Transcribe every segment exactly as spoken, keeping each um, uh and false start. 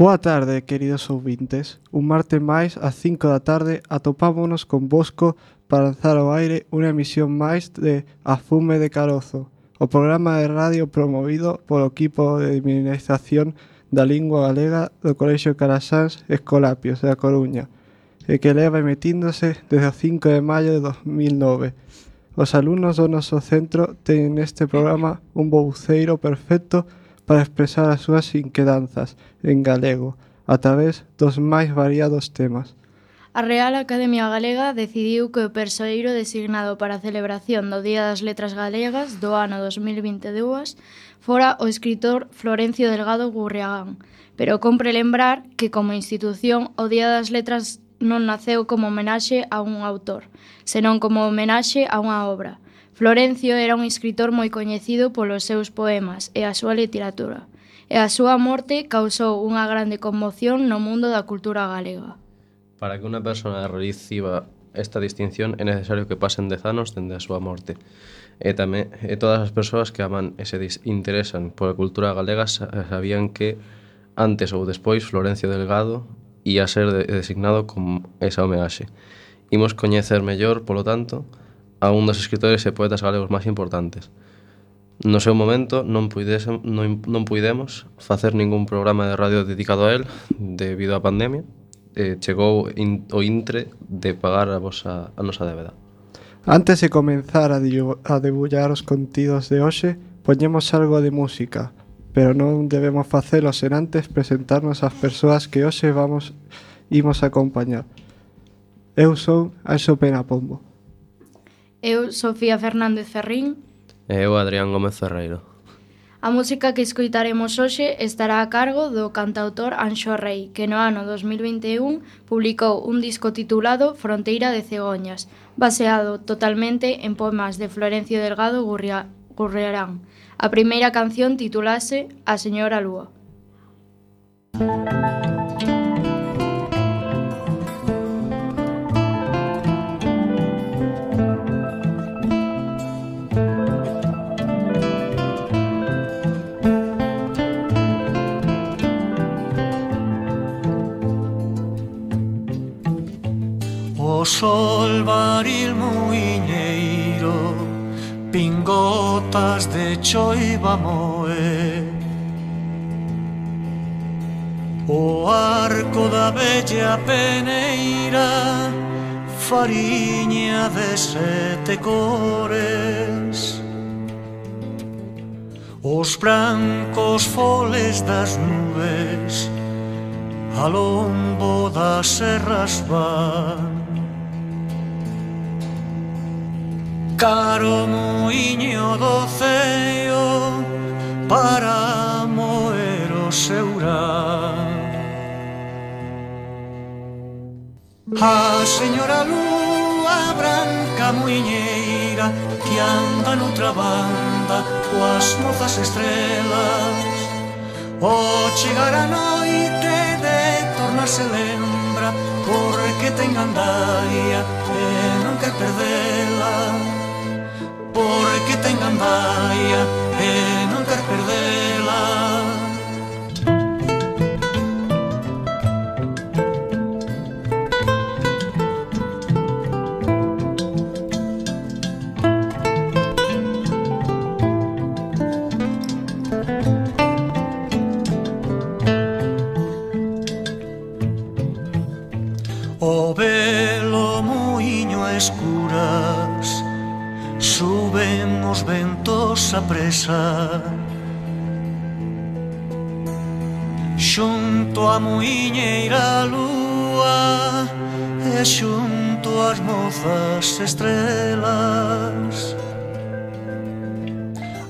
Boa tarde, queridos ouvintes. Un martes máis, ás cinco da tarde, atopámonos con Bosco para lanzar ao aire unha emisión máis de A Fume de Carozo, o programa de radio promovido polo equipo de dinamización da lingua galega do Colexio Carasáns Escolapios da Coruña, e que leva emitíndose desde o cinco de maio de dos mil nove. Os alumnos do noso centro teñen neste programa un voceiro perfecto para expresar as súas inquedanzas en galego a través dos máis variados temas. A Real Academia Galega decidiu que o persoeiro designado para a celebración do Día das Letras Galegas do ano dos mil vinte e dous fora o escritor Florencio Delgado Gurriagán, pero compre lembrar que como institución o Día das Letras non naceu como homenaxe a un autor, senón como homenaxe a unha obra. Florencio era un escritor moi coñecido polos seus poemas e a súa literatura, e a súa morte causou unha grande conmoción no mundo da cultura galega. Para que unha persona reciba esta distinción é necesario que pasen dez anos dende a súa morte. E tamén e todas as persoas que aman e se interesan pola cultura galega sabían que antes ou despois Florencio Delgado ia ser designado como esa homenaxe. Imos coñecer mellor, polo tanto, a un dos escritores e poetas galegos máis importantes. No seu momento non, puidese, non, non puidemos facer ningún programa de radio dedicado a él debido á pandemia. Eh, chegou in, o intre de pagar a, vosa, a nosa débeda. Antes de comenzar a, a debullar os contidos de hoxe, poñemos algo de música, pero non debemos facelo sen antes presentarnos ás persoas que hoxe vamos imos a acompañar. Eu son Anxo Pena Pombo. Eu, Sofía Fernández Ferrín. E eu, Adrián Gómez Ferreiro. A música que escoitaremos hoxe estará a cargo do cantautor Anxo Rei, que no ano dos mil vinte e un publicou un disco titulado Fronteira de Cegoñas, baseado totalmente en poemas de Florencio Delgado Gurriagán. A primeira canción titulase A Señora Lúa. O sol varil muiñeiro, pingotas de choiva moe. O arco da bella peneira, fariña de sete cores. Os brancos foles das nubes, a lombo das serras van. Caro muiño do ceo para moer o seurán. A señora lúa branca muiñeira que anda noutra banda coas mozas estrelas. O chegar a noite de tornarse lembra porque ten gandaia e non quer perdela. Porque ten gandaia e non quer perdela. O velo muiño a escuras, suben os ventos a presa. Xunto a muiñeira lúa e xunto as mozas estrelas.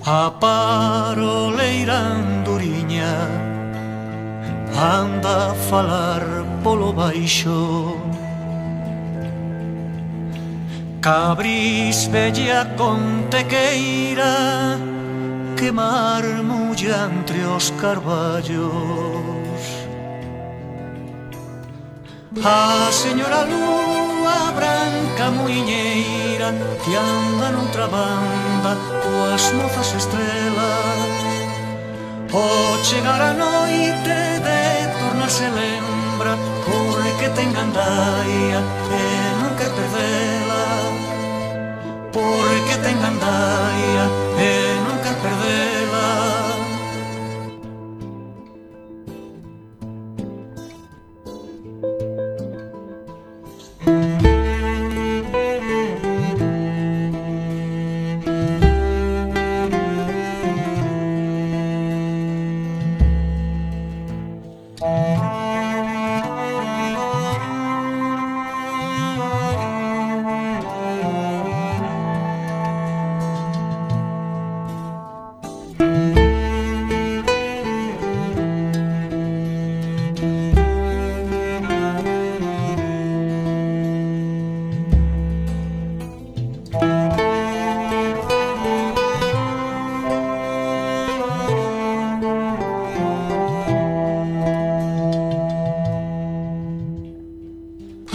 A paroleira anduriña anda a falar polo baixo. Cabris bella contequeira que marmulla entre os carballos. A señora lúa branca muiñeira que anda noutra banda coas mozas estrelas. O chegar a noite de tornar torna se lembra, porque ten gandaia e non quer perdela, porque ten gandaia e non quer perdela.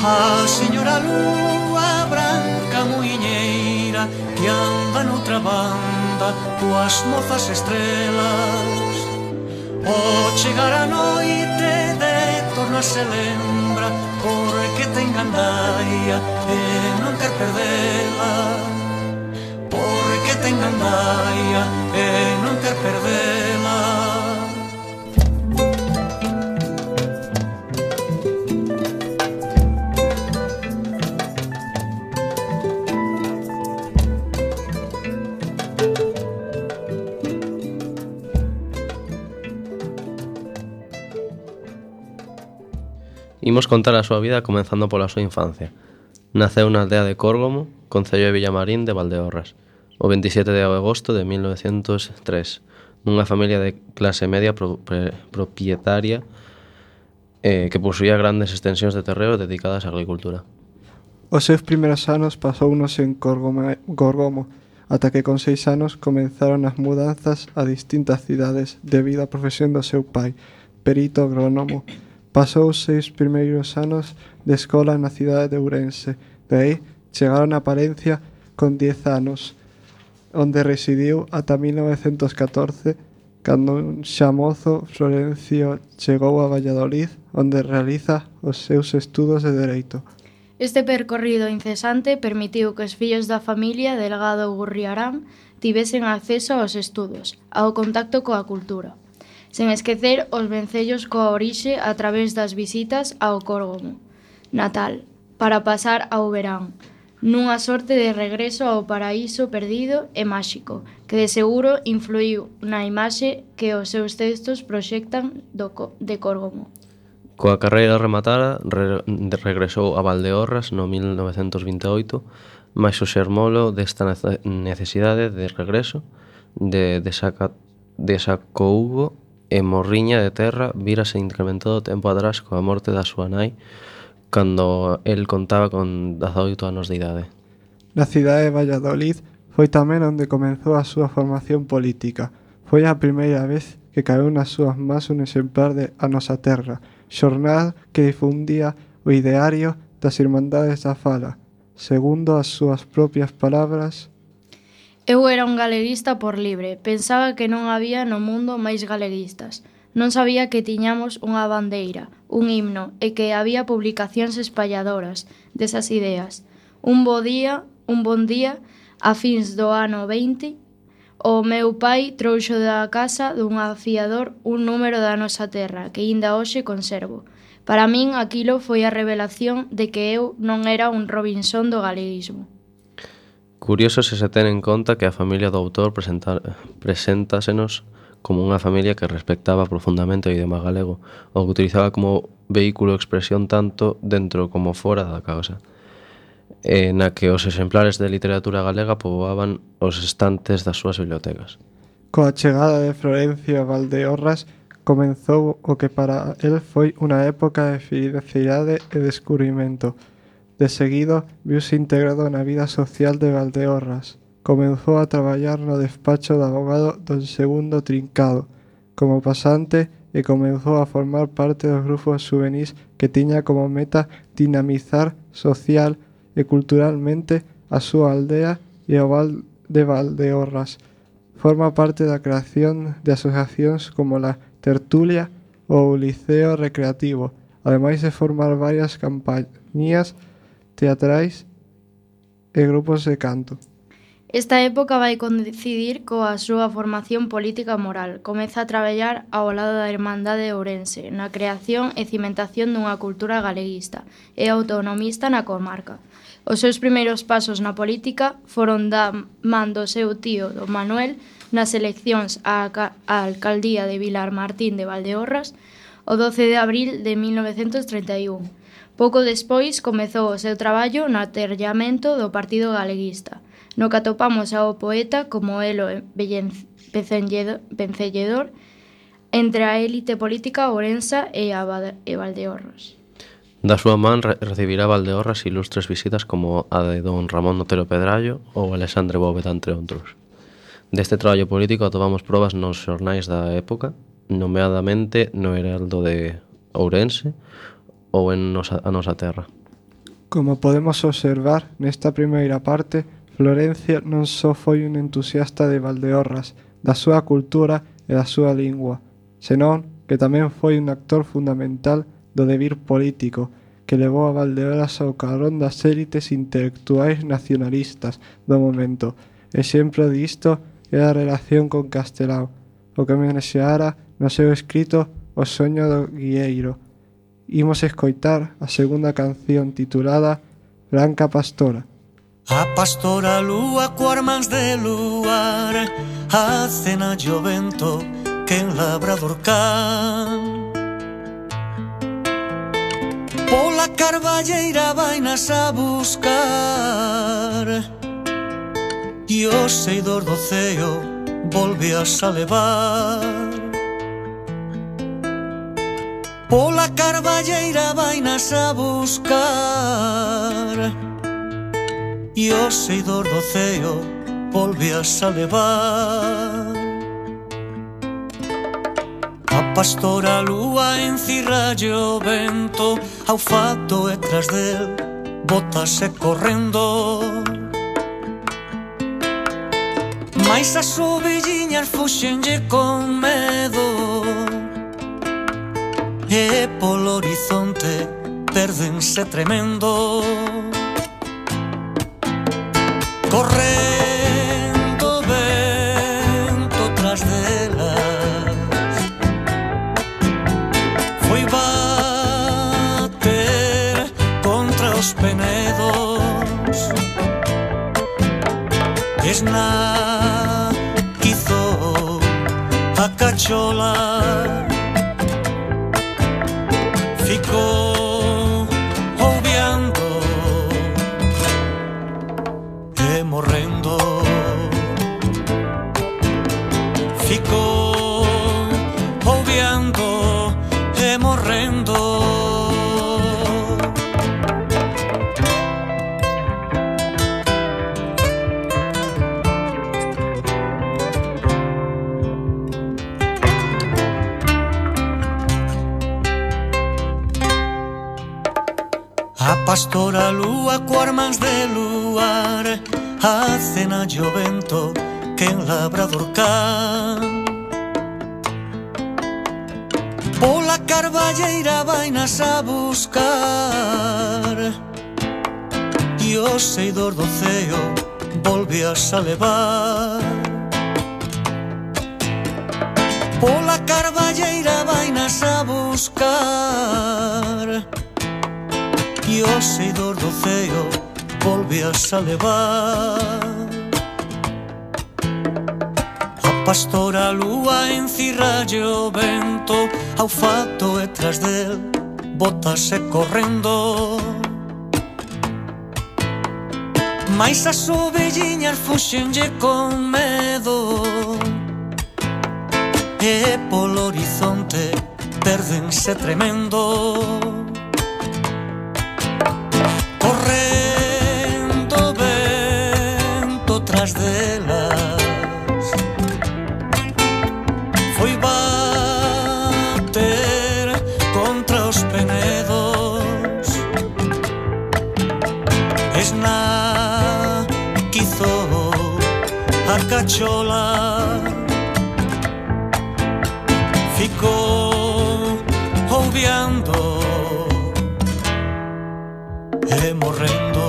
A señora lúa branca muiñeira que anda noutra banda coas mozas estrelas. O chegar a noite de torna se lembra, porque ten gandaia e non quer perdela, porque ten gandaia e non quer perdela. Imos contar a súa vida comenzando pola súa infancia. Naceu na aldea de Córgomo, concello de Villamarín de Valdeorras, o veintisiete de agosto de mil novecientos tres, nunha familia de clase media pro, pre, propietaria eh, que posuía grandes extensións de terreo dedicadas á agricultura. Os seus primeiros anos pasounos en Córgomo, Córgomo, ata que con seis anos comenzaron as mudanzas a distintas cidades debido á profesión do seu pai, perito agrónomo. Pasou os seis primeiros anos de escola na cidade de Ourense. De aí chegaron a Palencia con dez anos, onde residiu ata mil novecentos catorce, cando un xa mozo Florencio chegou a Valladolid, onde realiza os seus estudos de Dereito. Este percorrido incesante permitiu que os fillos da familia Delgado Gurriarán tivesen acceso aos estudos, ao contacto coa cultura, sen esquecer os vencellos coa orixe a través das visitas ao Córgomo natal, para pasar ao verán, nunha sorte de regreso ao paraíso perdido e máxico, que de seguro influiu na imaxe que os seus textos proxectan do, de Córgomo. Coa carreira rematada, re, regresou a Valdeorras no mil novecentos vinte e oito, mais o xermolo desta necesidade de regreso, de desaca, desacougo e morriña de terra vírase incrementado tempo atrás coa morte da súa nai, cando el contaba con dezaoito anos de idade. Na cidade de Valladolid foi tamén onde comenzou a súa formación política. Foi a primeira vez que caeu nas súas mans un exemplar de A Nosa Terra, xornal que difundía o ideario das Irmandades da Fala. Segundo as súas propias palabras: Eu era un galeguista por libre, pensaba que non había no mundo máis galeguistas. Non sabía que tiñamos unha bandeira, un himno e que había publicacións espalladoras desas ideas. Un bo día, un bon día, a fins do ano veinte, o meu pai trouxo da casa dun afiador un número da Nosa Terra que aínda hoxe conservo. Para min aquilo foi a revelación de que eu non era un Robinson do galeguismo. Curioso se se ten en conta que a familia do autor preséntasenos como unha familia que respectaba profundamente o idioma galego, o que utilizaba como vehículo de expresión tanto dentro como fora da causa, e na que os exemplares de literatura galega poboaban os estantes das súas bibliotecas. Coa chegada de Florencio a Valdeorras, comenzou o que para el foi unha época de felicidade e descubrimento. De seguido, viuse integrado na vida social de Valdeorras. Comenzou a traballar no despacho de abogado don Segundo Trincado como pasante e comenzou a formar parte dos grupos juvenís que tiña como meta dinamizar social e culturalmente a súa aldea e o val de Valdeorras. Forma parte da creación de asociacións como la Tertulia, o liceo recreativo, ademais de formar varias campañías teatrais e grupos de canto. Esta época vai coincidir coa súa formación política e moral. Comeza a traballar ao lado da Irmandade de Ourense na creación e cimentación dunha cultura galeguista e autonomista na comarca. Os seus primeiros pasos na política foron da man do seu tío, don Manuel, nas eleccións á alcaldía de Vilar Martín de Valdeorras o doce de abril de mil novecentos treinta e un. Pouco despois comezou o seu traballo no aterllamento do Partido Galeguista, no que atopamos ao poeta como elo vencelledor entre a élite política ourensa e a Valdeorras. Da súa man re recibirá Valdeorras ilustres visitas como a de don Ramón Otero Pedrallo ou Alexandre Bóveda, entre outros. Deste traballo político atopamos probas nos xornais da época, nomeadamente no Heraldo de Ourense ou en nosa, a nosa terra. Como podemos observar nesta primeira parte, Florencio non só foi un entusiasta de Valdeorras, da súa cultura e da súa lingua, senón que tamén foi un actor fundamental do devir político que levou a Valdeorras ao carón das élites intelectuais nacionalistas do momento. Exemplo disto é a relación con Castelao, o que menexeara no seu escrito O soño do guieiro. Imos escoitar a segunda canción titulada Branca Pastora. A pastora lúa coas mans de luar, a cena o vento que en labrador can. Pola carballeira vainas a buscar, e o seidor do ceo volvías a levar. Pola carballeira vainas a buscar, e o seidor do ceo volvías a levar. A pastora lúa encirralle o vento, ao fato e tras del botase correndo. Mais as ovelliñas fuxenlle con medo, e polo horizonte perdense tremendo. Correndo vento tras delas, foi bater contra os penedos. Esna quizo a cachola, ficou obviando e morrendo. Ficou obviando e morrendo. A pastora lúa coas mans de luar, a cena o vento que en labrador can. Pola carballeira vainas a buscar, e o seidor do ceo volvías a levar. Pola carballeira vainas a buscar, e o seidor do ceo volvías a levar. A pastora lúa encirralle o vento, ao fato e tras del botase correndo. Mais as ovelliñas fuxenlle con medo, e polo horizonte perdense tremendo. Correndo vento tras delas, foi bater contra os penedos. Esna quizo a cachola, ficou e morrendo.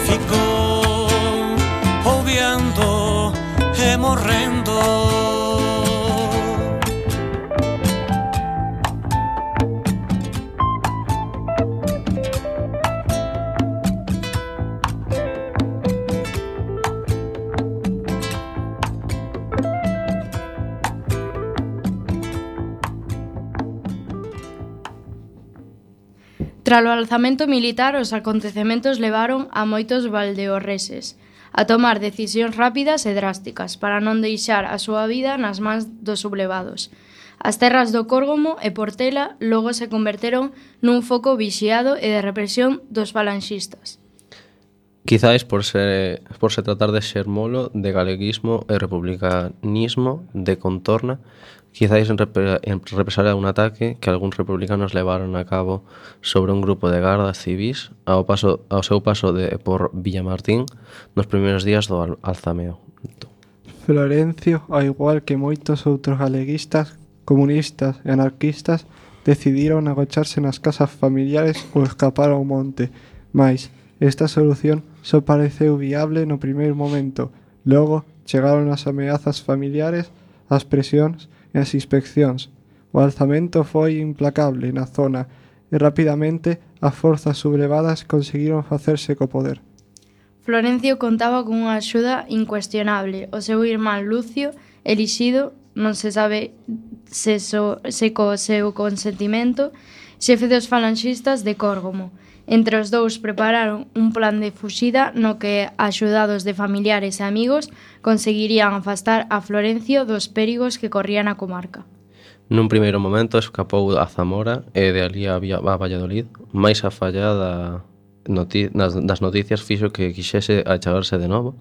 Ficou ouviando e morrendo. Tras o alzamento militar, os acontecementos levaron a moitos valdeorreses a tomar decisións rápidas e drásticas para non deixar a súa vida nas mans dos sublevados. As terras do Córgomo e Portela logo se converteron nun foco vixiado e de represión dos falanxistas. Quizáis por se, por se tratar de xermolo de galeguismo e republicanismo de contorna, quizáis en, repre, en represalia un ataque que algúns republicanos levaron a cabo sobre un grupo de gardas civis ao, paso, ao seu paso de por Villamartín nos primeiros días do alzamento. Florencio, ao igual que moitos outros galeguistas, comunistas e anarquistas, decidiron agocharse nas casas familiares ou escapar ao monte, mais esta solución só pareceu viable no primeiro momento. Logo chegaron as ameazas familiares, as presións e as inspeccións. O alzamento foi implacable na zona e rapidamente as forzas sublevadas conseguiron facerse co poder. Florencio contaba con unha axuda incuestionable. O seu irmán Lucio, elixido, non se sabe se, so, se co seu consentimento, xefe dos falanxistas de Córgomo. Entre os dous prepararon un plan de fuxida no que, axudados de familiares e amigos, conseguirían afastar a Florencio dos perigos que corrían a comarca. Nun primeiro momento escapou a Zamora e de ali a, a Valladolid, máis a fallada noti nas, das noticias fixo que quixese achegarse de novo.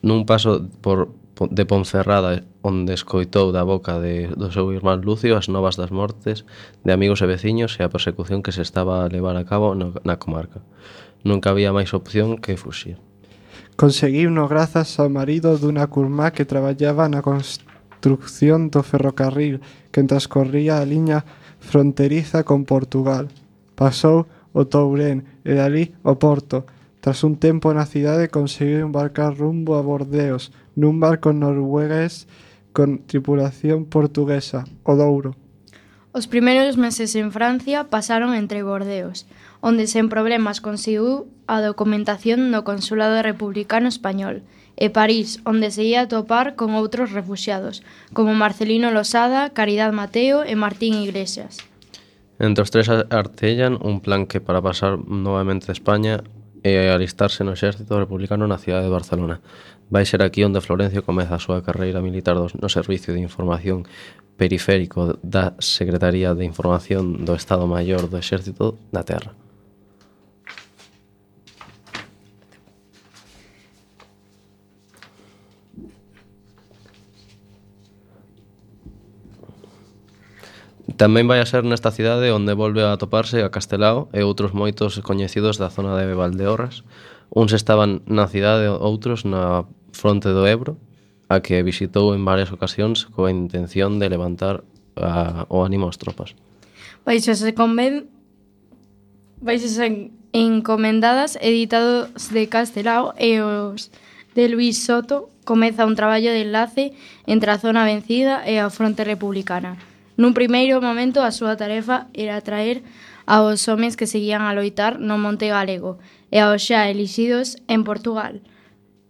Nun paso por de Ponferrada, onde escoitou da boca de, do seu irmán Lucio as novas das mortes de amigos e veciños e a persecución que se estaba a levar a cabo no, na comarca. Nunca había máis opción que fuxir. Conseguiuno grazas ao marido dunha curmá que traballaba na construcción do ferrocarril que transcorría a liña fronteriza con Portugal. Pasou o Tourén e dali o Porto. Tras un tempo na cidade conseguiu embarcar rumbo a Bordeos nun barco noruegués con tripulación portuguesa, o Douro. Os primeiros meses en Francia pasaron entre Bordeos, onde sen problemas conseguiu a documentación do Consulado Republicano Español, e París, onde se ia a topar con outros refuxiados, como Marcelino Losada, Caridad Mateo e Martín Iglesias. Entre os tres artellan un plan que para pasar novamente de España e alistarse no exército republicano na cidade de Barcelona. Vai ser aquí onde Florencio comeza a súa carreira militar no Servicio de Información Periférico da Secretaría de Información do Estado Maior do Exército da Terra. Tamén vai a ser nesta cidade onde volve a toparse a Castelao e outros moitos coñecidos da zona de Valdeorras. Uns estaban na cidade, outros na fronte do Ebro, a que visitou en varias ocasións coa intención de levantar a, o ánimo ás tropas. Baixo se conven... Baixo se encomendadas editados de Castelao e os de Luis Soto comeza un traballo de enlace entre a zona vencida e a fronte republicana. Nun primeiro momento, a súa tarefa era traer aos homes que seguían a loitar no Monte Galego e aos xa elixidos en Portugal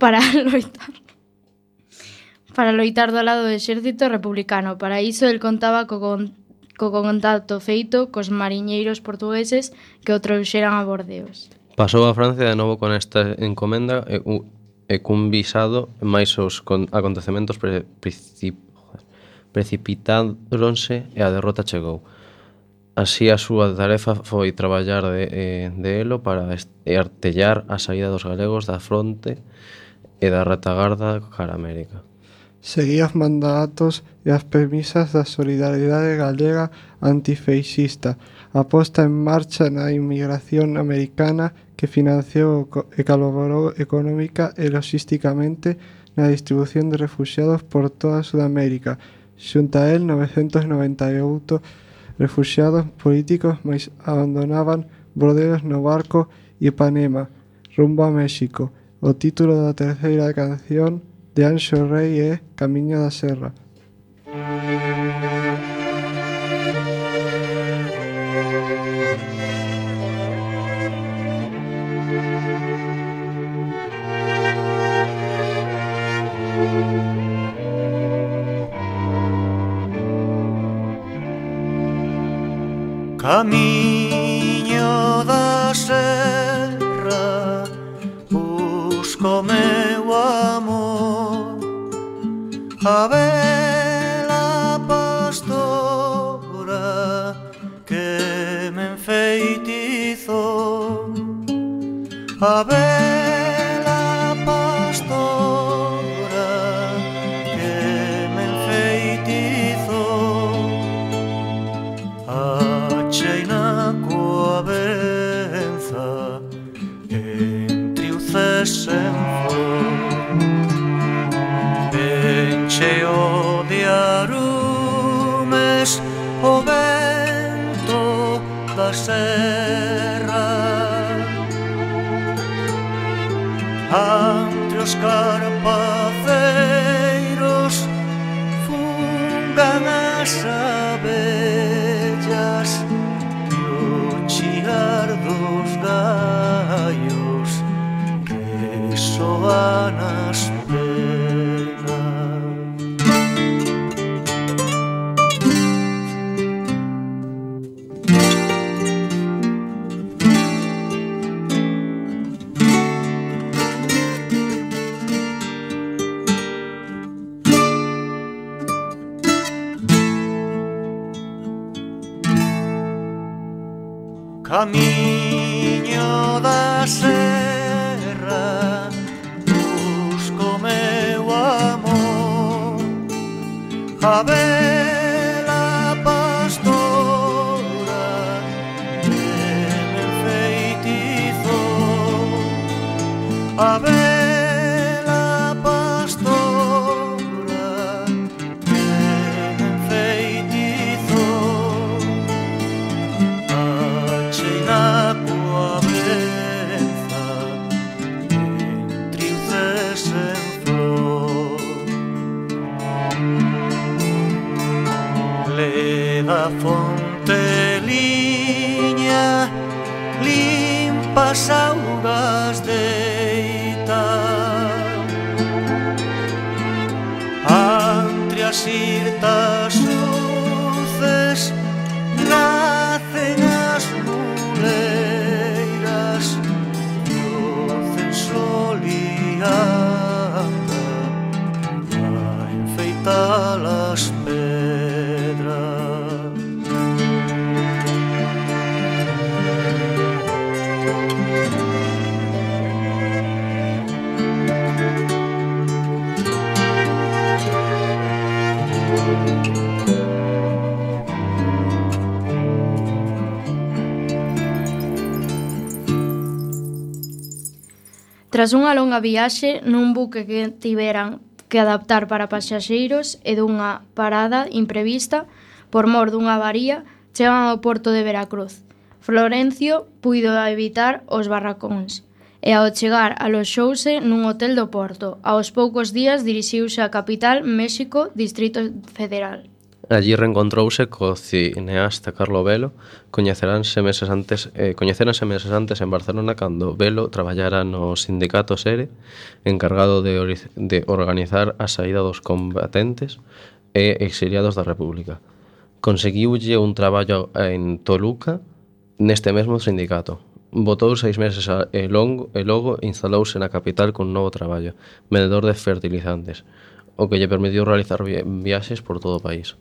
para loitar para loitar do lado do exército republicano. Para iso, el contaba co, con, co contacto feito cos mariñeiros portugueses que o trouxeran a Bordeos. Pasou a Francia de novo con esta encomenda e, e cun visado máis os con, acontecementos pre, princip, precipitáronse e a derrota chegou. Así a súa tarefa foi traballar de, de elo para artellar a saída dos galegos da fronte e da retagarda cara a América. Seguía os mandatos e as premisas da solidariedade galega antifeixista, a posta en marcha na inmigración americana que financiou e colaborou económica e logísticamente na distribución de refuxiados por toda Sudamérica. Xunta a el, novecentos noventa e oito refuxiados políticos, mais abandonaban Bordeos no barco Ipanema, rumbo a México. O título da terceira canción de Anxo Rei é Camiño da Serra. Camiño da serra, busco meu amor, a bela pastora que me enfeitizou, a bela pastora que me enfeitizou. Achei na coa benza entre o ces en flor, encheo de arumes o vento da serra, entre os carpaceiros fungan as abellas e o chiar dos gallos resoan as penas. Camiño da serra, busco meu amor, a bela pastora que me enfeitizou, a bela pastora que me enfeitizou. Na coa benza entre o ces en flor, leda fonteliña limpas augas deita, entre as irtas luces nacen as muleiras, docen sol e anda a enfeitar as pedras. Tras unha longa viaxe nun buque que tiveran que adaptar para pasaxeiros e dunha parada imprevista por mor dunha avaría, chegan ao porto de Veracruz. Florencio puido evitar os barracóns e ao chegar aloxouse nun hotel do porto. Aos poucos días dirixiuse á capital, México, Distrito Federal. Allí reencontrouse co cineasta Carlo Velo, coñeceranse meses antes, eh, coñeceranse meses antes en Barcelona cando Velo traballara no sindicato SERE, encargado de, de organizar a saída dos combatentes e exiliados da República. Conseguiulle un traballo en Toluca neste mesmo sindicato. Botou seis meses a, e, longo, e logo instalouse na capital con un novo traballo, vendedor de fertilizantes, o que lle permitiu realizar viaxes por todo o país.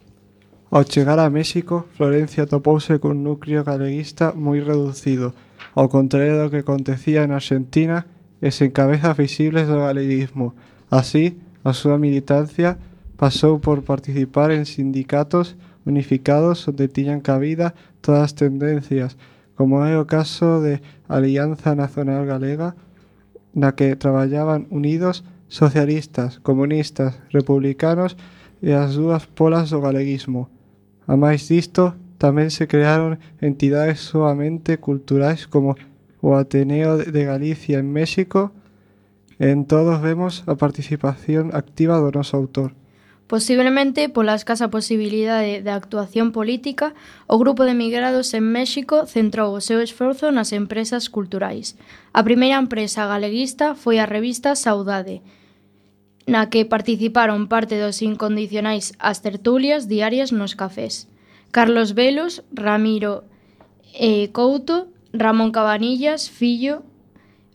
Ao chegar a México, Florencio topouse cun núcleo galeguista moi reducido, ao contrario do que acontecía en Argentina e sen cabezas visibles do galeguismo. Así, a súa militancia pasou por participar en sindicatos unificados onde tiñan cabida todas as tendencias, como é o caso de Alianza Nacional Galega, na que traballaban unidos socialistas, comunistas, republicanos e as dúas polas do galeguismo. A máis disto, tamén se crearon entidades sumamente culturais como o Ateneo de Galicia en México. En todos vemos a participación activa do noso autor. Posiblemente pola escasa posibilidade de actuación política, o grupo de emigrados en México centrou o seu esforzo nas empresas culturais. A primeira empresa galeguista foi a revista Saudade, na que participaron parte dos incondicionais as tertulias diarias nos cafés. Carlos Velos, Ramiro e Couto, Ramón Cabanillas, Fillo,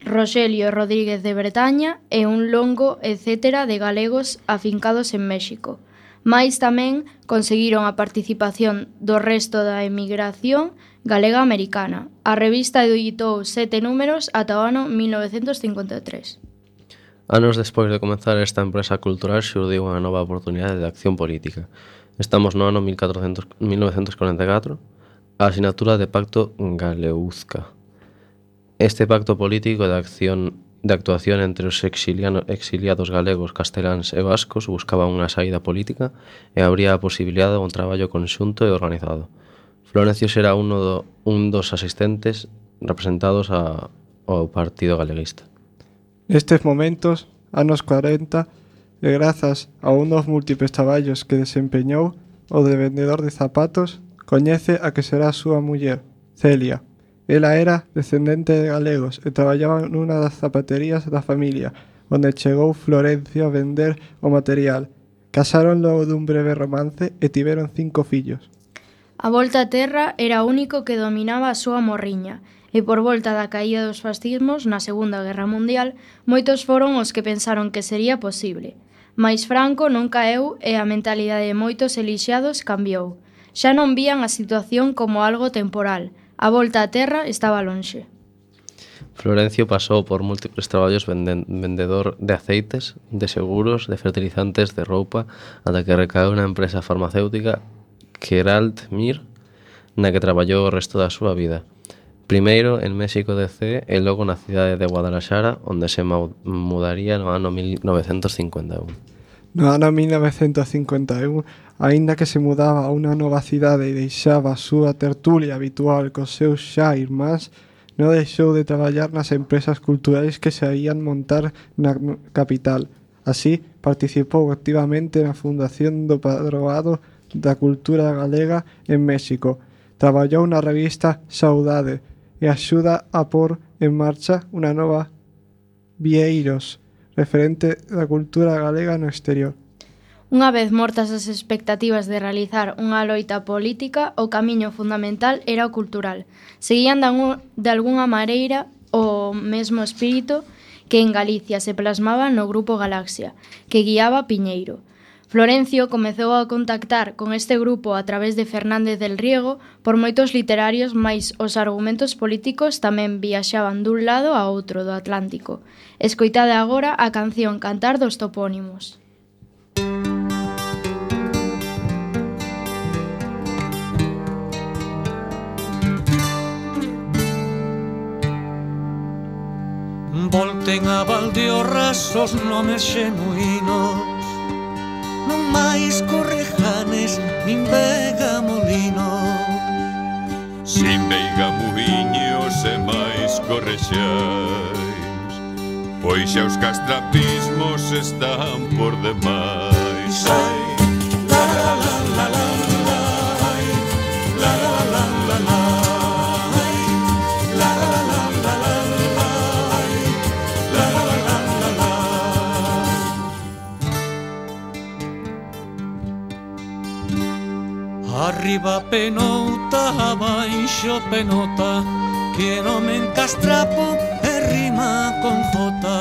Roxelio Rodríguez de Bretaña e un longo etcétera de galegos afincados en México. Mais tamén conseguiron a participación do resto da emigración galega americana. A revista editou sete números ata o ano mil novecentos cincuenta e tres. Anos despois de comenzar esta empresa cultural xurdiu unha nova oportunidade de acción política. Estamos no ano mil novecentos cuarenta e catro, a asinatura de Pacto Galeuzca. Este pacto político de acción de actuación entre os exiliados galegos, casteláns e vascos buscaba unha saída política e abría a posibilidade de un traballo conxunto e organizado. Florencio será uno do, un dos asistentes representados a, ao Partido Galeguista. Nestes momentos, anos cuarenta, e grazas a un dos múltiples traballos que desempeñou, o de vendedor de zapatos, coñece a que será a súa muller, Celia. Ela era descendente de galegos e traballaba nunha das zapaterías da familia, onde chegou Florencio a vender o material. Casaron logo dun breve romance e tiveron cinco fillos. A volta á terra era o único que dominaba a súa morriña, e por volta da caída dos fascismos na Segunda Guerra Mundial, moitos foron os que pensaron que sería posible. Mais Franco non caeu e a mentalidade de moitos elixiados cambiou. Xa non vían a situación como algo temporal. A volta á terra estaba lonxe. Florencio pasou por múltiples traballos vendedor de aceites, de seguros, de fertilizantes, de roupa, ata que recaeu na empresa farmacéutica Gerald Mir, na que traballou o resto da súa vida. Primeiro en México D C e logo na cidade de Guadalajara, onde se mudaría no ano mil novecentos cincuenta e un. No ano mil novecentos cincuenta e un, aínda que se mudaba a unha nova cidade e deixaba a súa tertulia habitual cos seus xa irmáns, non deixou de traballar nas empresas culturais que se ían montar na capital. Así, participou activamente na fundación do Padroado da Cultura Galega en México. Traballou na revista Saudade e axuda a pôr en marcha unha nova Vieiros, referente da cultura galega no exterior. Unha vez mortas as expectativas de realizar unha loita política, o camiño fundamental era o cultural. Seguían de algunha maneira o mesmo espírito que en Galicia se plasmaba no Grupo Galaxia, que guiaba Piñeiro. Florencio comezou a contactar con este grupo a través de Fernández del Riego por moitos literarios, mais os argumentos políticos tamén viaxaban dun lado a outro do Atlántico. Escoitade agora a canción Cantar dos Topónimos. Volten a Valdeorras os nomes xenuínos, non máis Correjanes nin Vega Molino. Sin Veiga Muiños e máis Correxais, pois xa os castrapismos están por demais. Ai, la la la la la la, ai, la la la la la, ai, la la la la la, ai, la la la la la. Arriba penouta, abaixo penota, que non me encastrapo e rima con jota.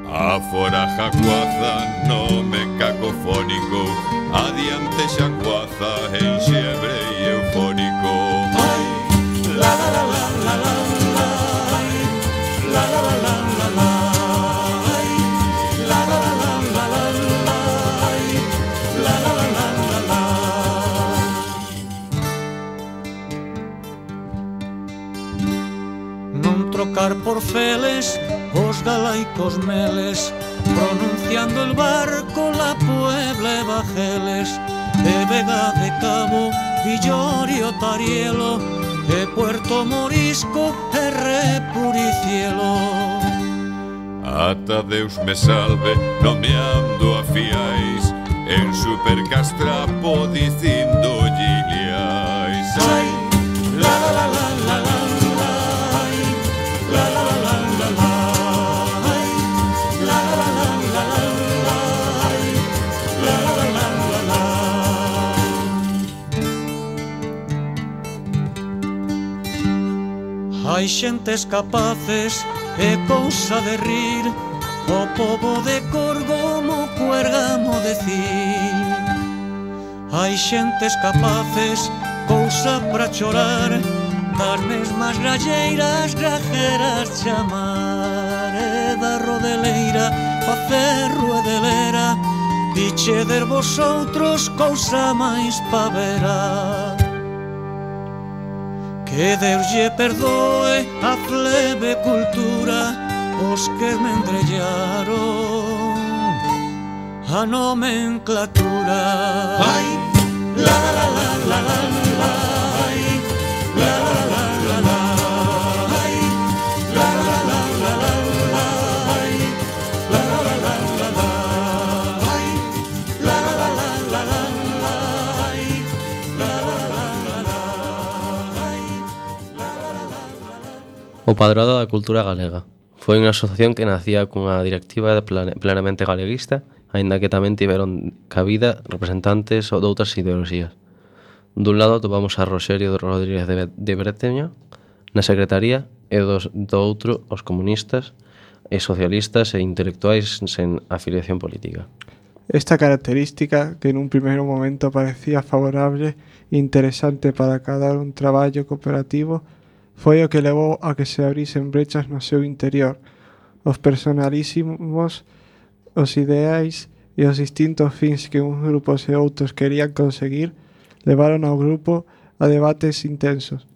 Afora Jacuaza, nome cacofónico, adiante Xacuaza, enxebre e eufónico. Ai, la la la la la la, ai, la la la la la la, ai, la la la la la la, ai, la la la la la la. Non trocar por feles os galaicos meles, pronunciando el barco la Puebla e Bajeles, de Vega de Cabo Villorio, Tarielo, e Puerto Morisco e Repuricielo. Ata Deus me salve, non me ando a fiais, en Supercastrapo dicindo giliais. Ai, la la la la la la, ai, la la la la la la, ai, la la la la la la, ai, la la la la la la. Hai xentes capaces, é cousa de rir, o pobo de Corgomo cuergamo decir. Hai xentes capaces, cousa pra chorar, das mesmas galleiras grajeras chamar. E da rodeleira, pa ferro e de lera, dicheder vosotros cousa máis pa verá. Que Deus lle perdoe a plebe cultura os que esmendrellaron a nomenclatura. Ai, la la la la la la la, ai, la la la la la, ai, la la la la la la, ai, la la la la la la, ai, la la la la la la, ai, la la la la la, ai. O Padrado da Cultura Galega foi unha asociación que nacía cunha directiva plenamente galeguista, aínda que tamén tiveron cabida representantes de outras ideoloxías. Dun lado topamos a Roxerio Rodríguez de Breteña na secretaría e dos, do outro os comunistas e socialistas e intelectuais sen afiliación política. Esta característica, que nun primeiro momento parecía favorable e interesante para cadar un traballo cooperativo, foi o que levou a que se abrisen brechas no seu interior. Os personalísimos, os ideais e os distintos fins que uns grupos e outros querían conseguir levaron ao grupo a debates intensos.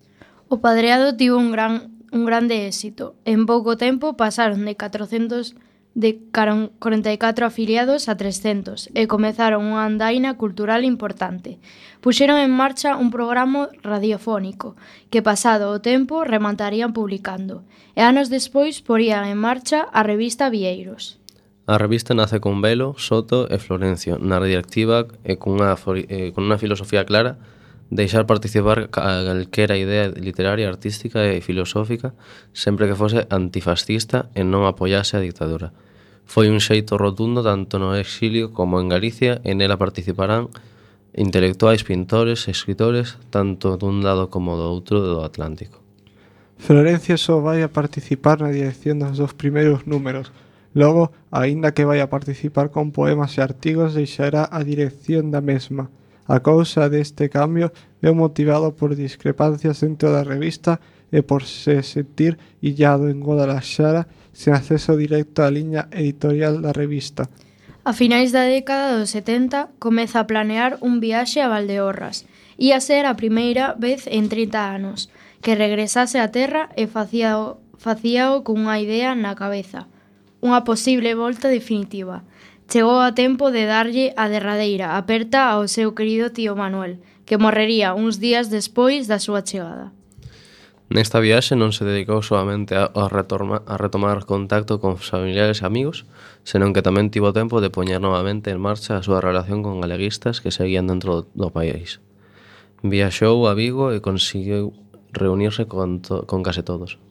O Padreado tivo un gran un grande éxito. En pouco tempo pasaron de catrocentos de corenta e catro afiliados a trescentos e comezaron unha andaina cultural importante. Puxeron en marcha un programa radiofónico que, pasado o tempo, rematarían publicando, e anos despois porían en marcha a revista Vieiros. A revista nace con Velo, Soto e Florencio na directiva e cunha, eh, con unha filosofía clara, deixar participar calquera idea literaria, artística e filosófica sempre que fose antifascista e non apoiase a dictadura. Foi un xeito rotundo tanto no exilio como en Galicia, e nela participarán intelectuais, pintores, escritores, tanto dun lado como do outro do Atlántico. Florencio só vai a participar na dirección dos dos primeiros números. Logo, aínda que vai a participar con poemas e artigos, deixará a dirección da mesma. A causa deste cambio é motivado por discrepancias dentro da revista e por se sentir illado en Guadalaxara sen acceso directo á liña editorial da revista. A finais da década dos setenta comeza a planear un viaxe a Valdeorras. Ia ser a primeira vez en trinta anos que regresase á terra e facíao, facíao cunha idea na cabeza, unha posible volta definitiva. Chegou a tempo de darlle a derradeira aperta ao seu querido tío Manuel, que morrería uns días despois da súa chegada. Nesta viaxe non se dedicou solamente a, a, retorma, a retomar contacto con familiares e amigos, senón que tamén tivo tempo de poñer novamente en marcha a súa relación con galeguistas que seguían dentro do, do país. Viaxou a Vigo e conseguiu reunirse con, to, con case todos.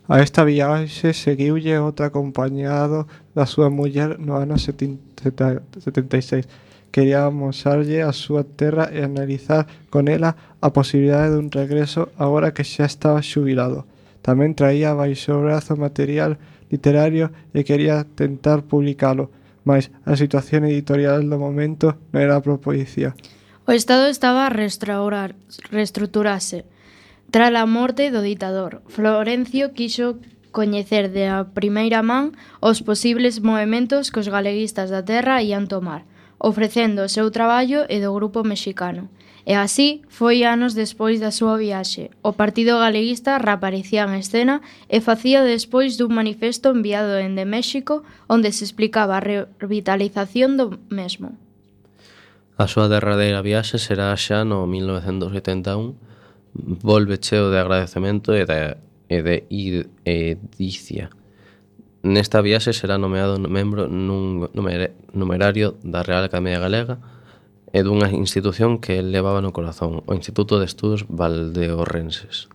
A esta viaxe seguiulle outro acompañado da súa muller no ano setenta e seis. Quería amosarlle a súa terra e analizar con ela a posibilidade dun regreso agora que xa estaba xubilado. Tamén traía baixo o brazo material literario e quería tentar publicalo, mas a situación editorial do momento non era propicia. O Estado estaba a restaurar, reestruturarse. Tras a morte do ditador, Florencio quixo coñecer de a primeira man os posibles movementos que os galeguistas da terra ian tomar, ofrecendo o seu traballo e do grupo mexicano. E así foi anos despois da súa viaxe. O Partido Galeguista reaparecía en escena e facía despois dun manifesto enviado dende México onde se explicaba a revitalización do mesmo. A súa derradeira viaxe será xa no mil novecentos oitenta e un. Volve cheo de agradecemento e de, e de edicia. Nesta viaxe será nomeado membro nun numer, numerario da Real Academia Galega e dunha institución que el levaba no corazón, o Instituto de Estudos Valdeorrenses.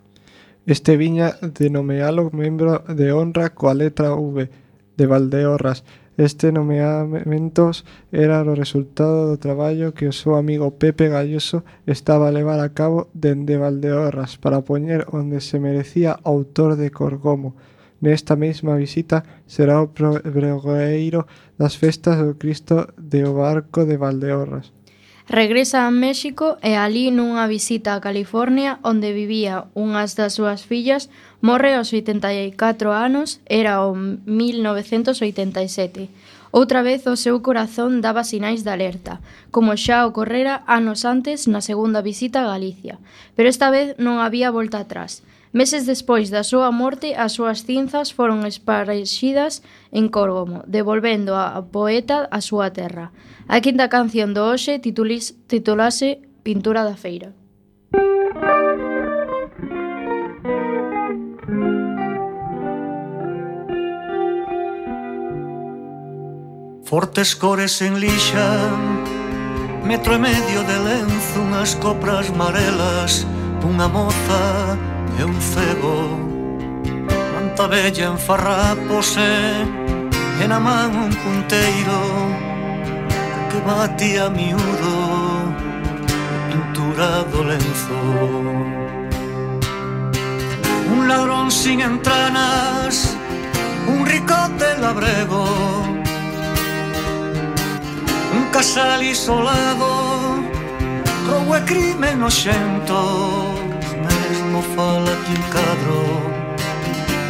Este viña de nomealo membro de honra coa letra V de Valdeorras. Este nomeamentos era o resultado do traballo que o seu amigo Pepe Galloso estaba a levar a cabo dende Valdeorras para poñer onde se merecía o autor de Corgomo. Nesta mesma visita será o pregoeiro das festas do Cristo de o Barco de Valdeorras. Regresa a México e alí nunha visita a California onde vivía unhas das súas fillas morre aos oitenta e catro anos, era o mil novecentos oitenta e sete. Outra vez o seu corazón daba sinais de alerta, como xa ocorrera anos antes na segunda visita a Galicia, pero esta vez non había volta atrás. Meses despois da súa morte, as súas cinzas foron esparxidas en Córgomo, devolvendo a poeta a súa terra. A quinta canción do hoxe titulase Pintura da Feira. Fortes cores en lixa, metro e medio de lenzo, unhas copras marelas, unha moza e un cego, manta bella en farrapos e na man un punteiro que batía miúdo, pintura do lenzo. Un ladrón sin entranas, un ricote labrego, un casal isolado, roubo e crime noxento. Mesmo fala que un cadro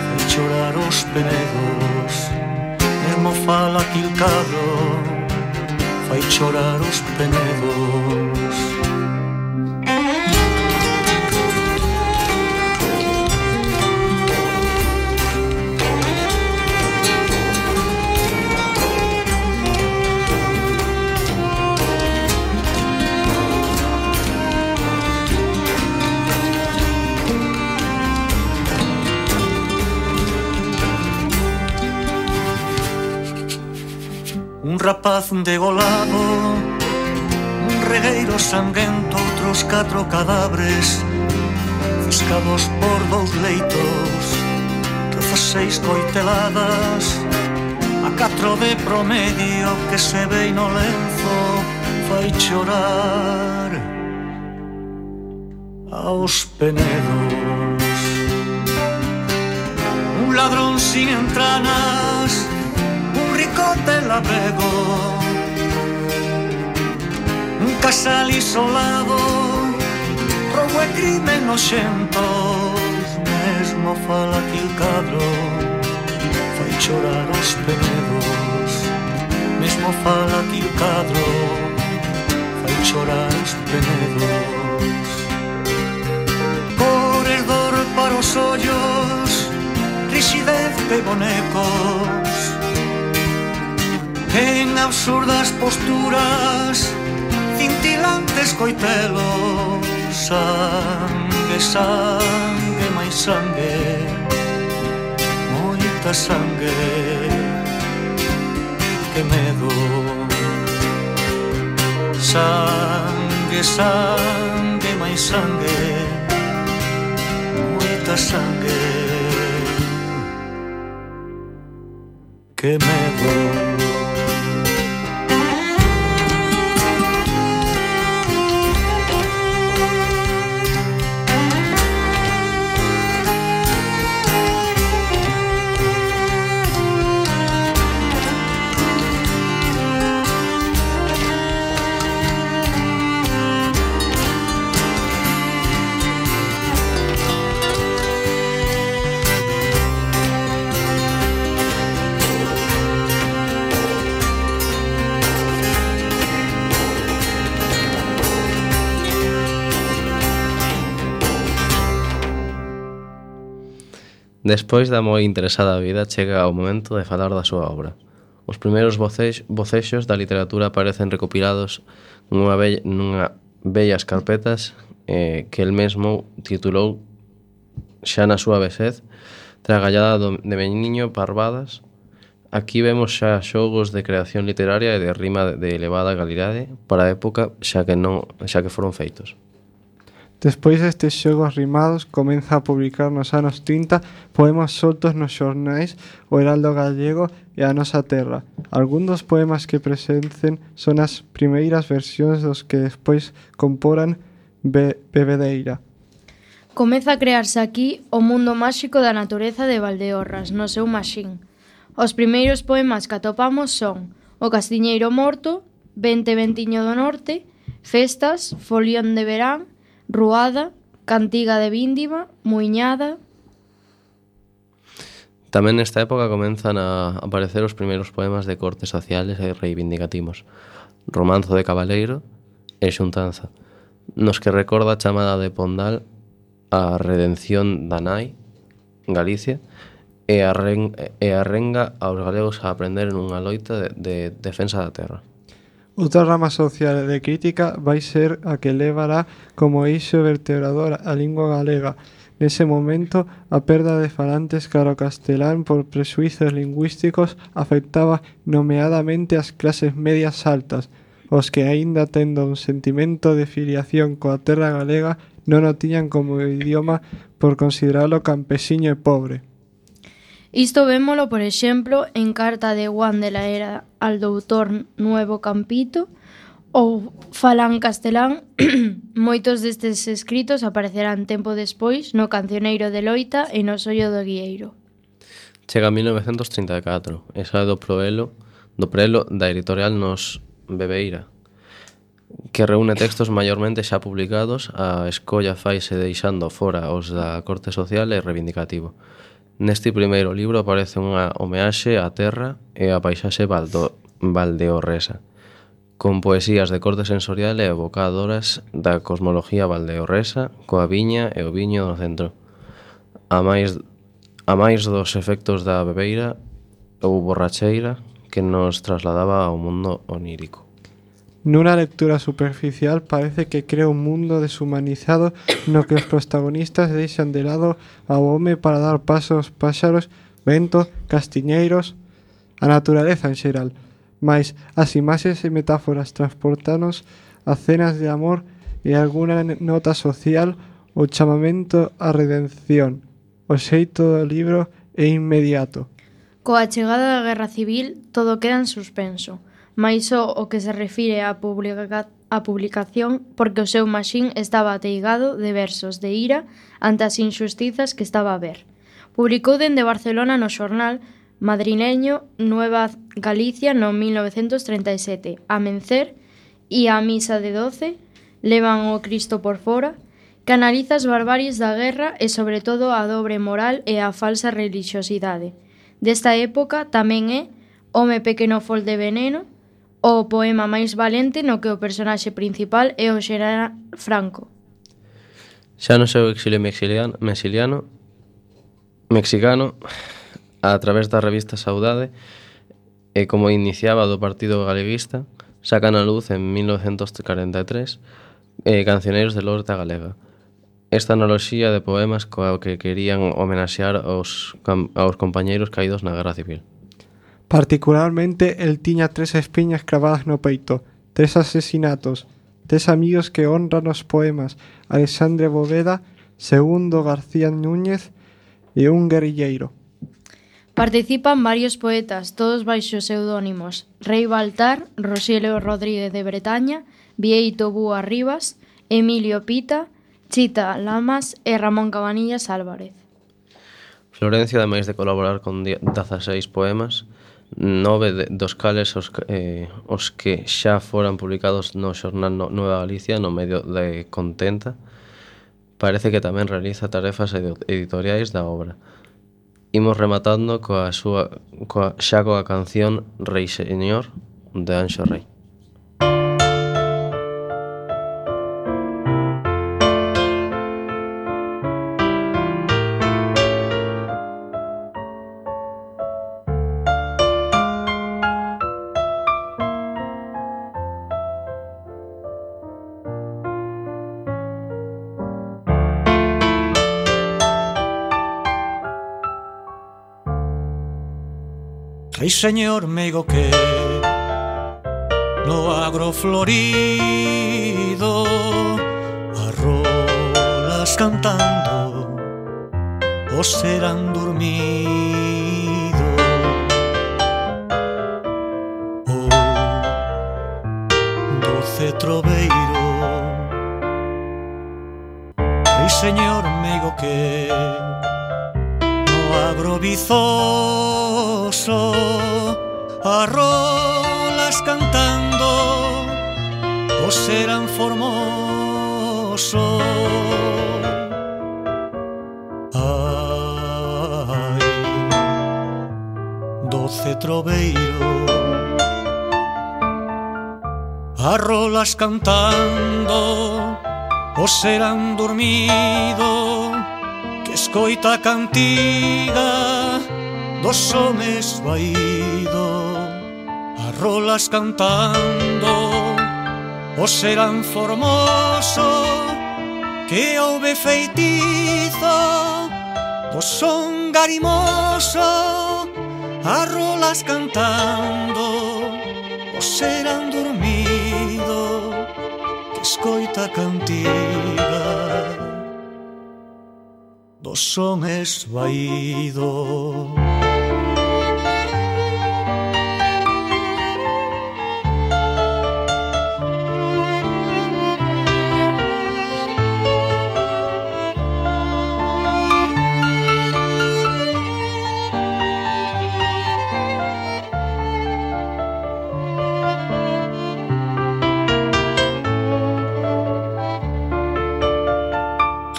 fai chorar os penegos. Mesmo fala que un cadro fai chorar os penegos. Un rapaz degolado, un regueiro sanguento, outros catro cadáveres fiscados por dous leitos, dezaseis coiteladas, a catro de promedio que se ve no lenzo fai chorar aos penedos. Un ladrón sin entranas, un ricote labrego, un casal isolado, roubo e crime noxentos. Mesmo fala que o cadro fai chorar os penedos. Mesmo fala que o cadro fai chorar os penedos. Corredor para os ollos, rixidez de bonecos, en absurdas posturas, cintilantes coitelos. Sangue, sangue, máis sangue, moita sangue, que medo. Sangue, sangue, máis sangue, moita sangue, que medo. Despois da moi interesada vida chega o momento de falar da súa obra. Os primeiros vocexos, vocexos da literatura aparecen recopilados nunha, bella, nunha bellas carpetas eh, que el mesmo titulou xa na súa vexez Tragallada do, de Meniño Parvadas. Aquí vemos xa xogos de creación literaria e de rima de elevada calidade para a época xa que, non, xa que foron feitos. Despois destes xogos rimados, comeza a publicar nos anos trinta poemas soltos nos xornais O Heraldo Gallego e A Nosa Terra. Algún dos poemas que presencen son as primeiras versións dos que despois comporan Be Bebedeira. Comeza a crearse aquí o mundo máxico da natureza de Valdeorras, no seu maxín. Os primeiros poemas que atopamos son O Castiñeiro Morto, Vente Ventiño do Norte, Festas, Folión de Verán, Ruada, Cantiga de Víndima, Muiñada. Tamén nesta época comenzan a aparecer os primeiros poemas de cortes sociales e reivindicativos, Romanzo de Cabaleiro e Xuntanza, nos que recorda a chamada de Pondal a redención da nai, Galicia, e arrenga aos galegos a aprender nunha loita de, de defensa da terra. Outra rama social de crítica vai ser a que levará como eixo vertebrador a lingua galega. Nese momento, a perda de falantes cara ao castelán por presuizos lingüísticos afectaba nomeadamente as clases medias altas, os que aínda tendo un sentimento de filiación coa terra galega non o tiñan como idioma por consideralo campesiño e pobre. Isto vémolo, por exemplo, en carta de Juan de la Era al doutor Nuevo Campito ou falan castelán. Moitos destes escritos aparecerán tempo despois no Cancioneiro de Loita e no Sollo do Guieiro. Chega mil novecentos trinta e catro e sae do proelo, do prelo da editorial Nos Bebeira, que reúne textos maiormente xa publicados. A escolla faise deixando fora os da corte social e reivindicativo. Neste primeiro libro aparece unha homeaxe á terra e á paisaxe valdo, valdeorresa, con poesías de corte sensorial e evocadoras da cosmología valdeorresa, coa viña e o viño no centro. A máis, a máis dos efectos da bebeira ou borracheira que nos trasladaba ao mundo onírico. Nunha lectura superficial parece que crea un mundo deshumanizado no que os protagonistas deixan de lado ao home para dar paso aos páxaros, vento, castiñeiros, a naturaleza en xeral. Mais as imaxes e metáforas transportanos a cenas de amor e alguna nota social, o chamamento á redención. O xeito do libro é inmediato. Coa chegada da Guerra Civil, todo queda en suspenso, mais só o que se refire á, publica á publicación, porque o seu maxín estaba ateigado de versos de ira ante as injustizas que estaba a ver. Publicou dende Barcelona no xornal madrileño Nueva Galicia no mil novecentos treinta e sete, Amencer e a Misa de doce, Levan o Cristo por fora, que analiza as barbaries da guerra e sobre todo a dobre moral e a falsa religiosidade. Desta época tamén é Home pequeno fol de veneno, o poema máis valente no que o personaxe principal é o xeneral Franco. Xa no seu exilio mexiliano, mexiliano, mexicano, a través da revista Saudade, e como iniciaba do Partido Galeguista, sacan a luz en mil novecentos corenta e tres eh, Cancioneiros de Lorta Galega. Esta analoxía de poemas coa que querían homenaxear aos, aos compañeiros caídos na Guerra Civil. Particularmente, el tiña tres espiñas cravadas no peito, tres asesinatos, tres amigos que honran os poemas, Alexandre Bóveda, Segundo García Núñez e un guerrilleiro. Participan varios poetas, todos baixo pseudónimos: Rei Baltar, Rosilio Rodríguez de Bretaña, Vieito Búa Rivas, Emilio Pita, Chita Lamas e Ramón Cabanillas Álvarez. Florencio, ademais de colaborar con dezaseis poemas, nove de, dos cales os, eh, os que xa foran publicados no xornal no, Nueva Galicia no medio de Contenta, parece que tamén realiza tarefas editoriais da obra. Imos rematando coa súa, coa, xa coa canción Rei Señor de Anxo Rei. Rei señor meigo que no agro florido arrolas cantando os serán dormido. Oh, doce troveiro, rei señor meigo que no agro vizoso arrolas cantando os serán formoso. Ai, doce troveiro, arrolas cantando os serán dormido, que escoita a cantiga dos homes vaído. Arrolas cantando os serán formoso, que houve feitizo do son garimoso. Arrolas cantando os serán dormido, que escoita a cantiga dos son esvaído.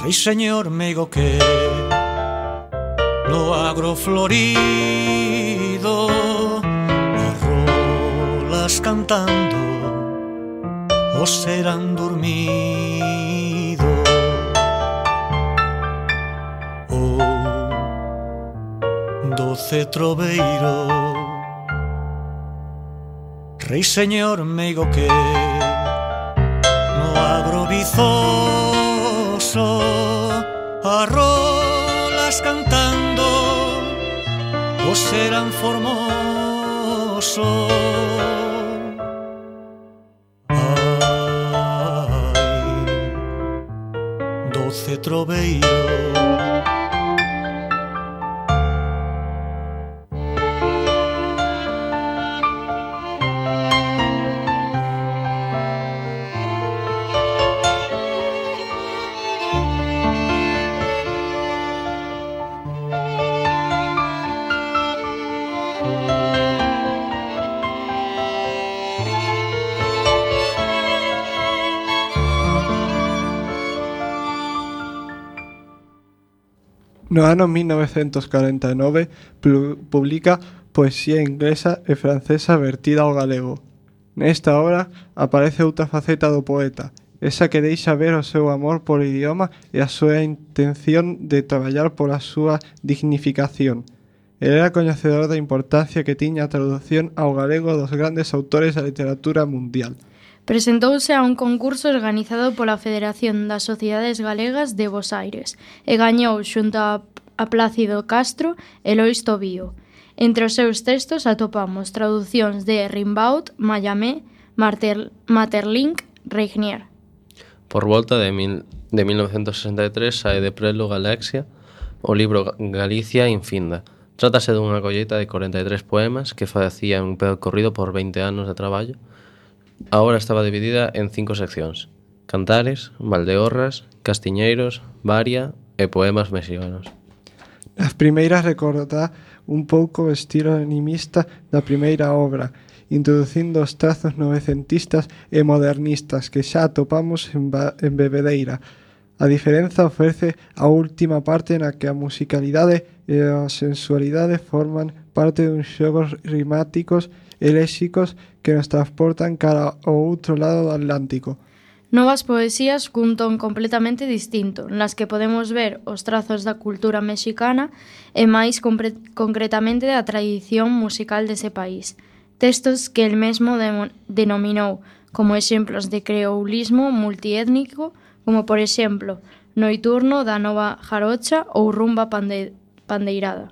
Rei señor meigo que no agro florido arrolas cantando os serán dormido. Oh, doce troveiro, rei señor meigo que no agro vizoso arrolas cantando os serán formoso. Ai, doce troveiro, No ano mil novecentos corenta e nove publica Poesía inglesa e francesa vertida ao galego. Nesta obra aparece outra faceta do poeta, esa que deixa ver o seu amor polo idioma e a súa intención de traballar pola súa dignificación. El era coñecedor da importancia que tiña a traducción ao galego dos grandes autores da literatura mundial. Presentouse a un concurso organizado pola Federación das Sociedades Galegas de Bos Aires e gañou xunto a, a Plácido Castro e Lois Tobío. Entre os seus textos atopamos traducións de Rimbaud, Mallarmé, Martel, Maeterlinck, Regnier. Por volta de, mil, de mil novecentos sesenta e tres sae de Prelo Galaxia o libro Galicia infinda. Trátase dunha colleita de corenta e tres poemas que facía un percorrido por veinte anos de traballo. A obra estaba dividida en cinco seccións: cantares, valdeorras, castiñeiros, varia e poemas mexicanos. As primeiras recordá un pouco o estilo animista da primeira obra, introducindo os trazos novecentistas e modernistas que xa atopamos en, en Bebedeira. A diferenza ofrece a última parte na que a musicalidade e a sensualidade forman parte duns xogos rimáticos e léxicos que nos transportan cara ao outro lado do Atlántico. Novas poesías cun ton completamente distinto, nas que podemos ver os trazos da cultura mexicana e máis compre- concretamente da tradición musical dese país. Textos que el mesmo de- denominou como exemplos de creoulismo multiétnico, como por exemplo Noiturno da Nova Jarocha ou Rumba pande- Pandeirada.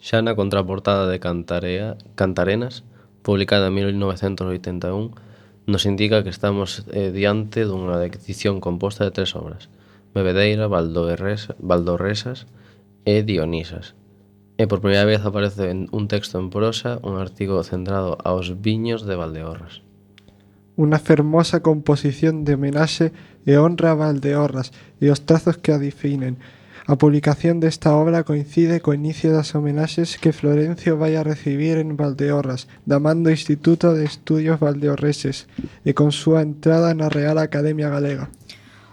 Xa na contraportada de Cantarea, Cantarenas, publicada en mil novecentos oitenta e un, nos indica que estamos eh, diante dunha edición composta de tres obras: Bebedeira, Valdorresa, Valdorresas e Dionisas. E por primeira vez aparece en un texto en prosa un artigo centrado aos viños de Valdeorras. Unha fermosa composición de homenaxe e honra a Valdeorras e os trazos que a definen. A publicación desta obra coincide co inicio das homenaxes que Florencio vai a recibir en Valdeorras, da man do Instituto de Estudios Valdeorreses, e con súa entrada na Real Academia Galega.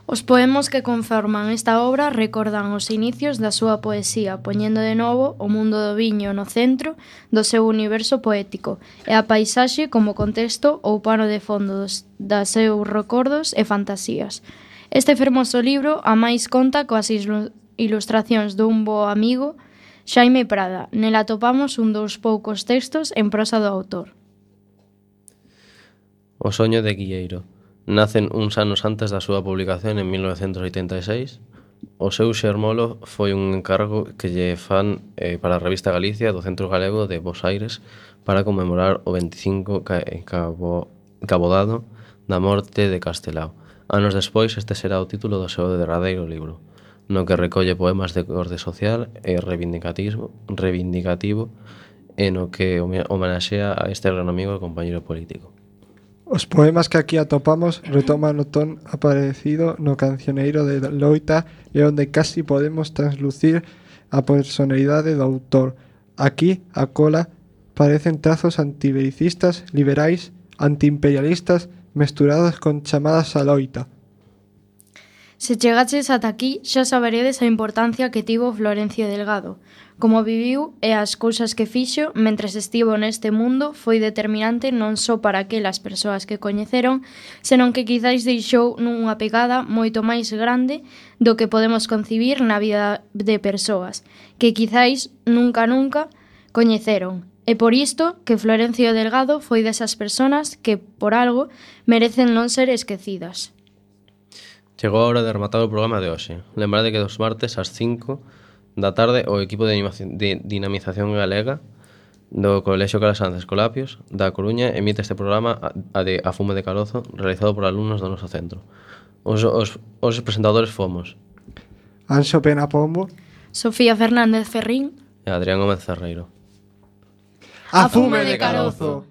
Os poemas que conforman esta obra recordan os inicios da súa poesía, poñendo de novo o mundo do viño no centro do seu universo poético e a paisaxe como contexto ou pano de fondo dos, das seus recordos e fantasías. Este fermoso libro a máis conta coas ilu- ilustracións dun bo amigo, Xaime Prada. Nela atopamos un dos poucos textos en prosa do autor. O soño de Guilleiro. Nacen uns anos antes da súa publicación en mil novecentos oitenta e seis. O seu xermolo foi un encargo que lle fan eh, para a revista Galicia do Centro Galego de Bos Aires para conmemorar o veinticinco ca- cabo, cabodado da morte de Castelao. Anos despois, este será o título do seu derradeiro libro, no que recolle poemas de orde social e reivindicativo, reivindicativo e no que homenaxea a este gran amigo e compañeiro político. Os poemas que aquí atopamos retoman o ton aparecido no cancioneiro de Loita e onde casi podemos translucir a personalidade do autor. Aquí, a cola, parecen trazos antibelicistas, liberais, antiimperialistas, mesturados con chamadas a loita. Se chegaches ata aquí, xa saberedes a importancia que tivo Florencio Delgado. Como viviu e as cousas que fixo mentres estivo neste mundo foi determinante non só para aquelas persoas que coñeceron, senón que quizáis deixou nunha pegada moito máis grande do que podemos concibir na vida de persoas, que quizáis nunca nunca coñeceron. E por isto que Florencio Delgado foi desas persoas que, por algo, merecen non ser esquecidas. Chegou a hora de rematar o programa de hoxe. Lembrade que dos martes ás cinco da tarde o equipo de, animación, de dinamización galega do Colexio Calasanz Escolapios da Coruña emite este programa a, a de A Fume de Carozo, realizado por alumnos do noso centro. Os, os, os presentadores fomos Anxo Pena Pombo, Sofía Fernández Ferrín e Adrián Gómez Ferreiro. A Fume de Carozo.